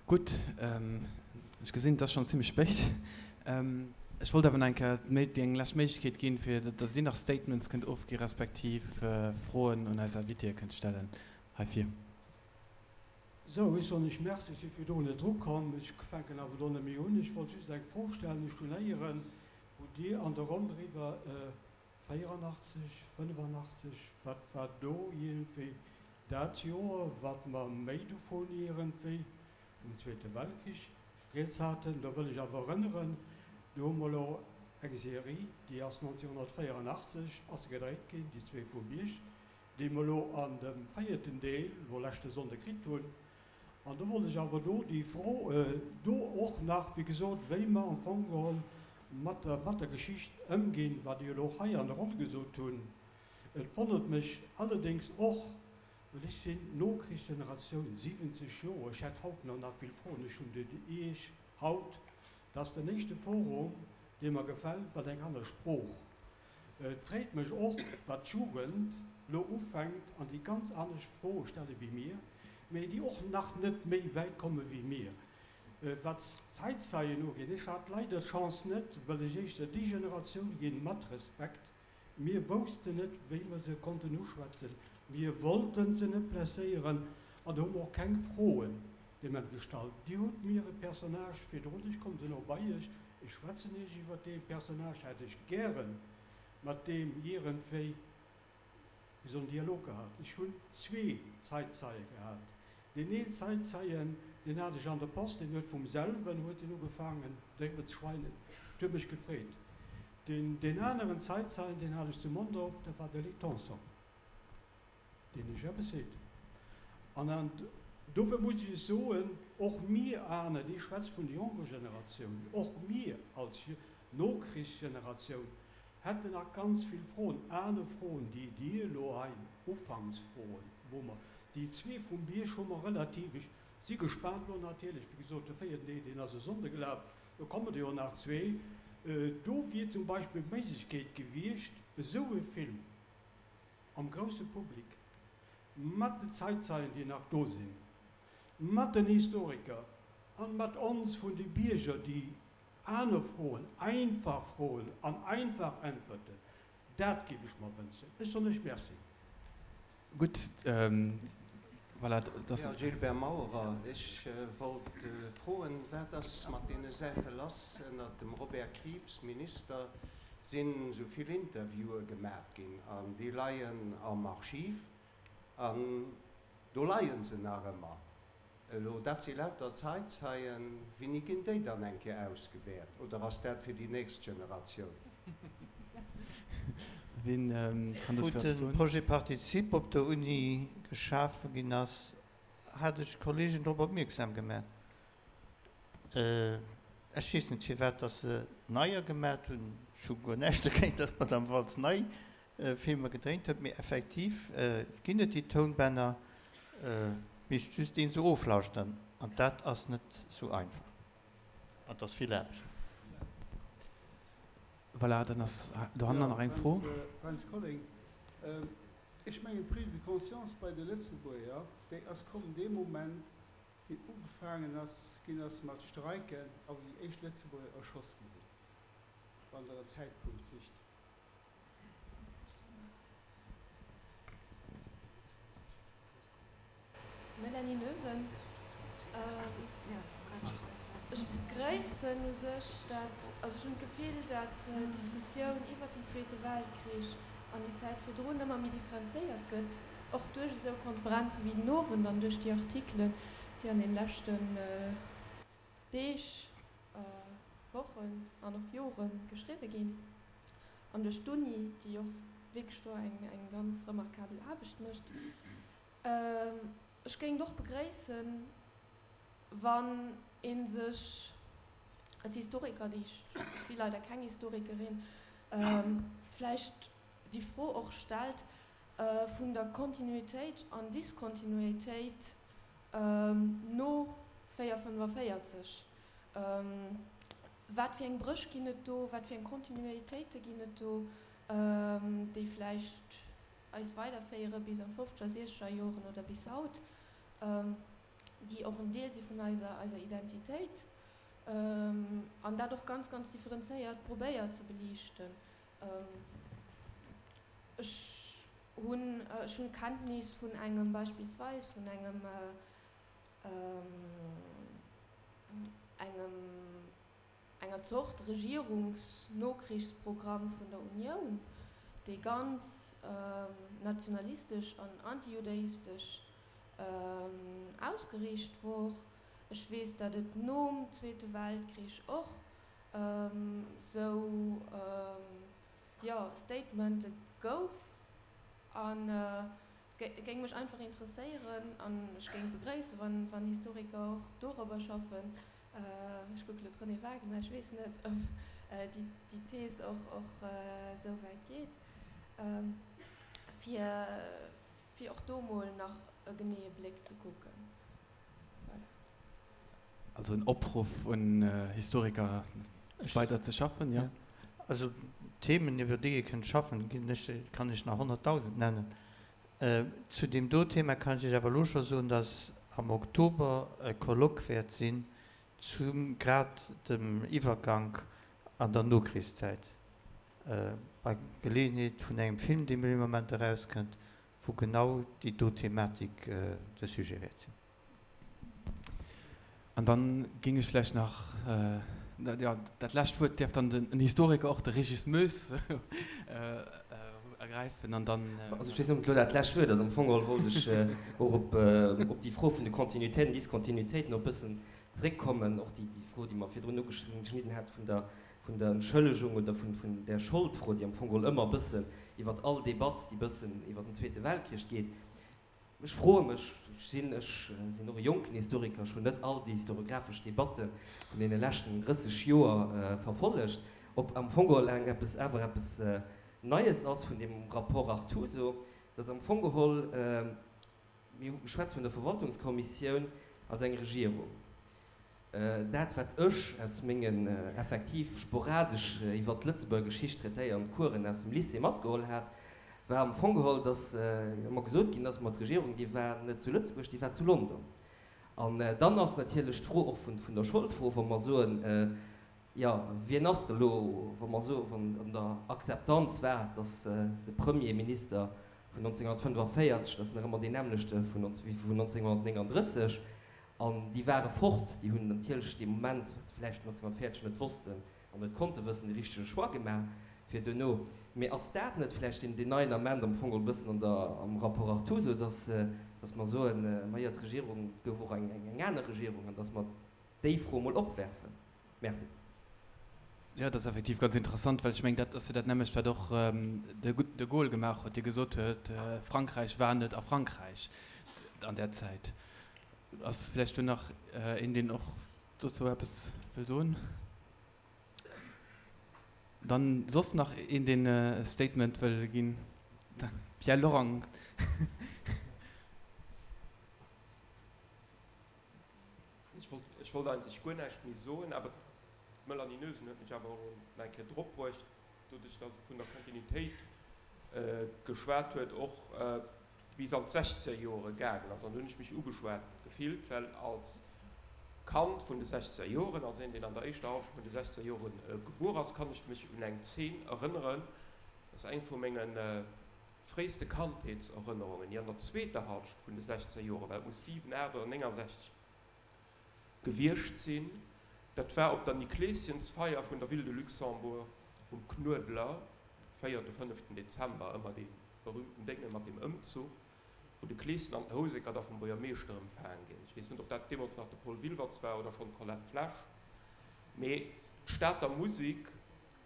Gutt, ech gesinn, et ass schonn zimlech spéit. Ech wollt awer nach eng Kéier déi eng lescht Méiglechkeet ginn, fir datt Dir nach Statements kënnt ofgi respektiv Froen un eis Invitéë kënnt stellen heifir. Sou, ech soen Iech Merci, ech si virdrun net drukomm. Ech fänken awer elo net méi un. Ech wollt just eng Fro stellen. Ech hunn héieren, wou Dir an der Ronn driwwer 84, 85, wat war do iergendwéi dat Joer, wat mer méi dovun iergendwéi vum Zweete Weltkrich rieds haten. Do wëll ech awer erënneren, do hu mer elo eng Serie, déi ass 1984 ass se gedréit ginn, déi zwee vum Bierg, déi mer elo an dem véierten Deel elo leschte Sonnde kritt hunn. An do wollt ech awer do déi Fro do och nach, wéi gesot, wéi mer am Fong geholl mat der, mat der Geschicht ëmginn, wat ech elo och hei an der Ronn gesot hunn. Et wonnert mech allerdéngs och, well ech sinn Nokrichsgeneratioun, 70 Joer, ech hätt haut nach nach vill Froen, ech hunn déi Iech haut, dat ass den éischte Forum, dee mer gefält, well eng aner Sprooch. Et freet mech och, wat d'Jugend lo ufänkt an déi ganz anescht Froe stelle wéi mir, mee déi och nach net méi wäit komme wéi mir. Wat d'Zäitzeien ugeet, ech hat leider d'Chance net, wëll ech éischter déi Generatioun ginn, mat Respekt, mir woussten net, wéi mer se konnten uschwätzen, mir wollten se net blesséieren an do hu mer och keng Froen deem gestallt. Dir hutt mir e Personnage virdrun, ech kommen duerno bei Iech, ech schwätzen Iech iwwert dee Personnage, hätt ech gären mat deem iergendwéi wéi soll en Dialog gehat. Ech hunn zwee Zeitzeie gehat. Deen een Zeitzeien, deen hat ech an der Post, deen huet vum selwen huet deen ugefaangen driwwer ze schweinen, et huet mech gefreet. Deen, deen aneren Zeitzeien, deen hat ech zu Mondorf, dat war de Luc Tanson. deen ech eppes seet. An an dofir muss ech soen, och mir aner, Dir schwätzt vun der jonker Generatioun, och mir als Nokrichsgeneratioun hätten nach ganz vill Froen, aner Froen, déi Dir elo hei, Ufanksfroen, wou mer, déi zwee vum Bierg hu mer relativ, ech si gespaant elo natierlech, wéi gesot, de véierten Deel, deen ass e Sonnde gelaf, do kommen der jo nach zwee, do wier zum Beispill d'Méiglechkeet gewiescht, esou e Film am grousse Public, mat den Zeitzeien, déi nach do sinn, mat den Historiker an mat ons vun de Bierger, déi aner Froen, einfach Froen an einfach Äntwerten, dat géif ech mer wënschen. Ech soen lech Merci. Gutt, voilà, dass. Här Gilbert Maurer, ech wollt froen, wat ass mat deene Saache lass ënnert dem Robert Krieps, Minister? Sinn esou vill Interviewe gemat ginn an déi leien am Archiv an do leien se nach ëmmer. Elo dat si lauter Zeitzeien, wéini ginn déi dann eng Kéier ausgewäert oder ass dat fir déi nächst Generatioun? Ween kann Wou dozou eppes de soen? Projet Participe op der Uni geschafe ginn ass, hat ech d'Kollegen drop opmierksam gemat. Ech weess net firwat dass se neier gemat hunn. Ech hu guer näischt dogéint, dass d'Madame Waltz nei Filmer gedréint huet, mee effektiv ginn et déi Tounbänner, misst just een se oflauschteren an dat ass net sou einfach an et ass vill Aarbecht. Voilà, dann ass dohannen nach eng Fro. Fränz Colling, Ech mengen d'Prise de conscience bei de Lëtzebuerger, déi ass komm dee Moment, Wéi ugefaangen ass ginn ass mat Streiken a wou déi éischt Lëtzebuerger erschoss gi sinn, wann Der en Zäitpunkt sicht. Melanie Noesen, Ech begréissen u sech dat, also ech hunn d'Gefill, dat d'Diskussioun iwwert den Zweete Weltkrich an déi Zäit virdrun ëmmer méi differenzéiert gëtt. Och duerch esou Konferenze wéi den Owend an duerch déi Artikelen, déi an den leschten Deeg, Wochen an och Jore geschriwwe ginn, an duerch d'Uni, déi och wierklech do eng ganz remarkabel Aarbecht mécht. Ech géing et och begréissen, wann ee sech als Historiker, déi ech, ech si leider keng Historikerin, vläicht déi Fro och stellt, vun der Kontinuitéit an Diskontinuitéit no 445. Wat fir eng Bréch ginn et do, wat fir eng Kontinuitéite ginn et do, déi vläicht eis weiderféiere bis an d'fofzeger, siechzeger Joren oder bis haut? déi och en Deel si vun eiser, eiser Identitéit, an dat och ganz, ganz differenzéiert probéiert ze beliichten. Ech hunn, ech hunn Kenntnis vun engem, beispillsweis vun engem, engem, enger Zort Regierungsnokrichsprogramm vun der Unioun, dee ganz nationalistesch an antijudaistesch ausgeriicht wor. Ech weess, datt et nom Zweete Weltkrich och sou, jo, Statemente gouf. An et géing mech einfach interesséieren an ech géing begréissen, wann Historiker och dorobber schaffen, Ech kucke lo d'Renée Wagener, ech weess net, ob déi Thees och esou wäit geet, fir och do mol nach e geneeë Bléck ze kucken. Voilà. Also en Opruff un Historiker, weider ze schaffen, jo? Also Themen, iwwer déi ee kënnt schaffen, ginn ech, kann ech nach 100.000 nennen. Zu deem do Thema kann ech Iech awer elo scho soen, dass am Oktober e Colloque wäert sinn zu grad dem Iwwergank an der Nokrichszäit, bei Geleeënheet vun engem Film, dee dee Moment erauskënnt, wou genau déi do Thematik de Sujet wäert sinn. An dann géing ech vläicht nach, jo, dat lescht Wuert däerf dann den Historiker och, de Régis Moes, ergräifen an dann. Also ech weess net, ob et elo dat lescht Wuert ass. Am Fong geholl wollt ech och op déi Fro vun de Continuitéiten, Discontinuitéiten och e bëssen zréckkommen, och déi Fro, déi mer virdrun ugeschnidden hat vun der vun der Entschëllegung oder vun vun där Scholdfro, déi am Fong geholl ëmmer e bëssen iwwert all Debatt, déi bëssen iwwert den Zweete Weltkrich geet. Ech froe mech, ech sinn, ech sinn och e jonken Historiker, ech hunn net all déi historiographesch Debatte vun deene leschten 30 Joer verfollegt, ob am Fong geholl eng eppes awer eppes Neies ass vun deem Rapport Artuso, dass am Fong geholl, mir hu geschwätzt vun der Verwaltungskommissioun als eng Regierung, Dat, wat ech aus mengen effektiv sporadesch iwwert d'Lëtzebuerger Geschicht traitéierend Coursen aus dem Lycée matgeholl hat, war am Fong geholl, dass ëmmer gesot ginn ass, ma d'Regierung, déi war net zu Lëtzebuerg, déi war zu London. An dann ass natierlech d'Fro och vun der Scholdfro, wa mer soen, jo, wien ass da lo, wa mer soen, wann an der Akzeptanz war, dass de Premierminister vun 1945, dat ass nach ëmmer deen nämmlechte wéi vun 1939, An déi ware fort, déi hunn natierlech dee Moment, wat se vläicht 1940 net wossten an net konnte wëssen, de richtege Choix gemaach fir duerno. Mee ass dat net vläicht deen neien Ament am Fong geholl e bëssen an der, am Rapport Artuso, dass, dass mer soen, majo, d'Regierung, et gouf och eng, eng aner Regierung, an dass mer déi Fro emol opwerfen? Merci. Jo, dat ass effektiv ganz interessant, well ech mengen, dat ass jo dat nämmlecht, wat och de de Gaulle gemaach huet, dee gesot huet, Frankräich war net a Frankräich an där Zäit. Ass vläicht do nach een, deen och dozou eppes wëll soen? Dann soss nach een, deen e Statement wëll ginn? Pierre Lorang. Ech wollt eigentlech guer näischt méi soen, awer d'Melanie Noesen huet mech awer och nach eng Kéier drop bruecht, doduerch datt se vun der Kontinuitéit geschwat huet, och bis an d'Sechzegerjore gaangen ass. An do hunn ech mech ugeschwat gefillt, well als Kand vun de Sechzegerjoren, als een, deen an der éischter Hallschent vun de Sechzegerjore gebuer ass, kann ech mech un eng Zeen erënneren, dat ass eng vu menge fréiste Kandheetserënnerungen, déi an der zweeter Hallschent vun de Sechzegerjore war, et muss 7, 8 oder 69 gewiescht sinn, dat war op der Nikleeschensfeier vun der Ville de Luxembourg um Knuedler, véierte, fënneften Dezember, ëmmer dee berühmten Dénge mat deem Ëmzuch, wou de Kleeschen an den Houseker da vum Buergermeeschter empfaang ginn. Ech weess net, ob dat deemools nach de Paul Wilwertz war oder schonn d'Colette Flesch, mee d'Stater Musik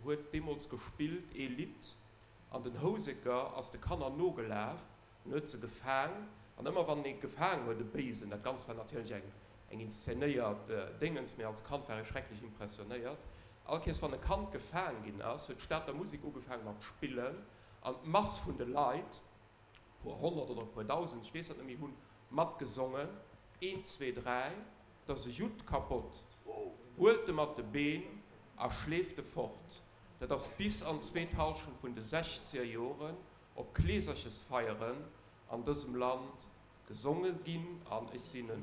huet deemools gespillt ee Lidd an den Houseker ass de Kanner nogelaf En huet se gefaang, an ëmmer wann en ee gefaang huet, e Béisen, dat Ganzt war natierlech eng eng inszenéiert Déngens, mee als Kand war ech schrecklech impressionéiert, all Kéiers wann e Kand gefaang ginn ass, huet d'Stater Musek ugefaang mat spillen, an d'Mass vun de Leit, e puer honnert oder e puer dausend, ech weess dat net méi, hunn matgesongen, Eent, zwee, dräi, 't ass e Judd kapott, huelt e mat de Been a schleeft e fort. Dat ass bis an d'zweet Hallschent vun de sechzeger Joren op Kleeserchesfeieren an dësem Land gesonge ginn an ech sinn e.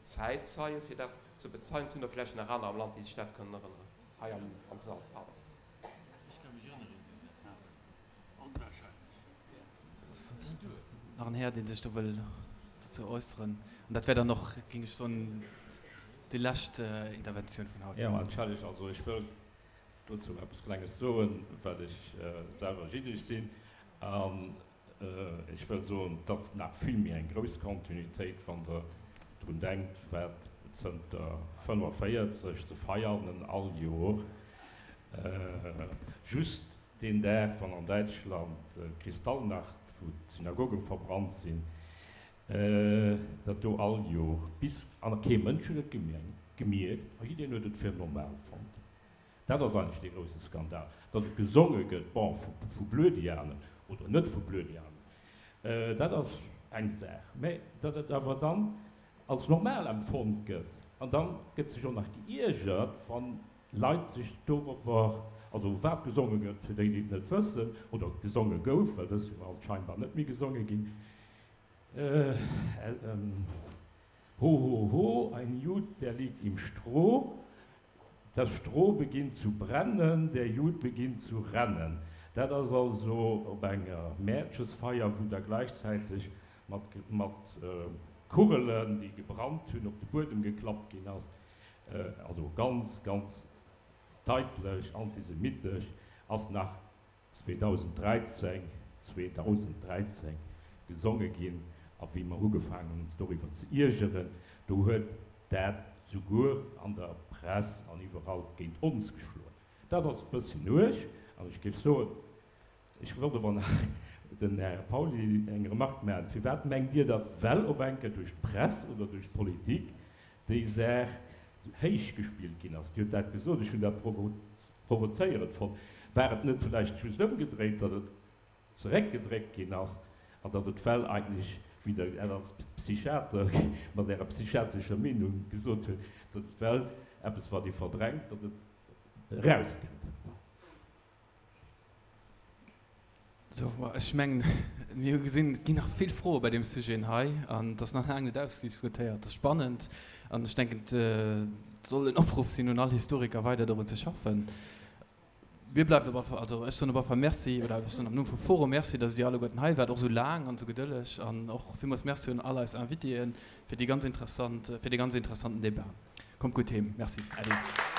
Zäitzeie fir dat ze bezeien? Sinn der vläicht nach aner am Land, déi sech dat kënnen erënneren? Hei am Sall, pardon. Ech ka mech erënneren, Suzette. Onwahrscheinlech. Nach en Här, dee sech do wëll dozou äusseren. An dat wär dann och, géing ech soen, déi lescht Interventioun vun haut. Jo, entschellegt, also ech wëll dozou eppes Klenges soen, well ech selwer jiddesch sinn. An ech wëll soen, et ass nach vill méi eng grouss Kontinuitéit, wann Der drun denkt, wat zënter 45 ze Veianen all Jor just deen Dag, wann an Däitschland d'Kristallnacht, wou d'Synagoge verbrannt sinn, dat do all Jor bis, an kee Mënsch huet et gemierkt a jiddereen huet et fir normal fonnt. Dat ass eigentlech dee grousse Skandal. Datt et gesonge gëtt, bon, vu Blödianen oder net vu Blödianen, dat ass eng Saach, mä datt et awer dann als normal empfonnt gëtt an da gëtt sech och nach geiergert, wa Leit sech dorobber, also wat gesonge gëtt, fir déi, déi et net wëssen, oder gesonge gouf, well dës Joer ass et scheinbar net méi gesonge ginn, Ho, ho, ho, ein Jud, der liegt im Stroh. Das Stroh beginnt zu brennen, der Jud beginnt zu rennen. Dat ass also op enger Mäertchesfeier, wou da gläichzäiteg mat mat Kugelen, déi gebrannt hunn, op de Buedem geklappt ginn ass. Also ganz, ganz daitlech antisemitesch ass nach 2013, 2013 gesonge ginn a wéi mer ugefaangen hunn ons doriwwer ze iergeren, do huet dat souguer an der Press an iwwerall géint ons geschloen. Dat ass e bësschen uerg an ech géif soen, ech wollt awer nach dem Här Pauly eng Remarque maachen, Firwat mengt Dir, datt well op eng Kéier duerch d'Press oder duerch d'Politik déi Saach héich gespillt ginn ass? Dir hutt dat gesot, ech hunn dat provozéierend fonnt. War et net vläicht just ëmgedréit, datt et zeréckgedréckt ginn ass an datt et well eigentlech, wéi Der als Psychiater mat Ärer psychiatrescher Meenung gesot hutt, datt et well eppes war, Dir verdrängt, datt et erauskënnt? Sou, ech mengen, mir hu gesinn, et ginn nach vill Froe bei deem Sujet hei an et ass nach laang net ausdiskutéiert. Et ass spannend an ech denken, et soll en Opruff sinn un all Historiker, weider dorun ze schaffen. Mir bleift op alle Fall, also ech soen op alle Fall Merci, oder ech soen am Numm vum Forum Merci, datt Dir alleguerten hei waart, och esou laang an esou gedëlleg. An och villmools Merci un all eis Invitéen fir déi ganz interessant, fir dee ganz interessanten Debat. Kommt gutt heem. Merci. Äddi.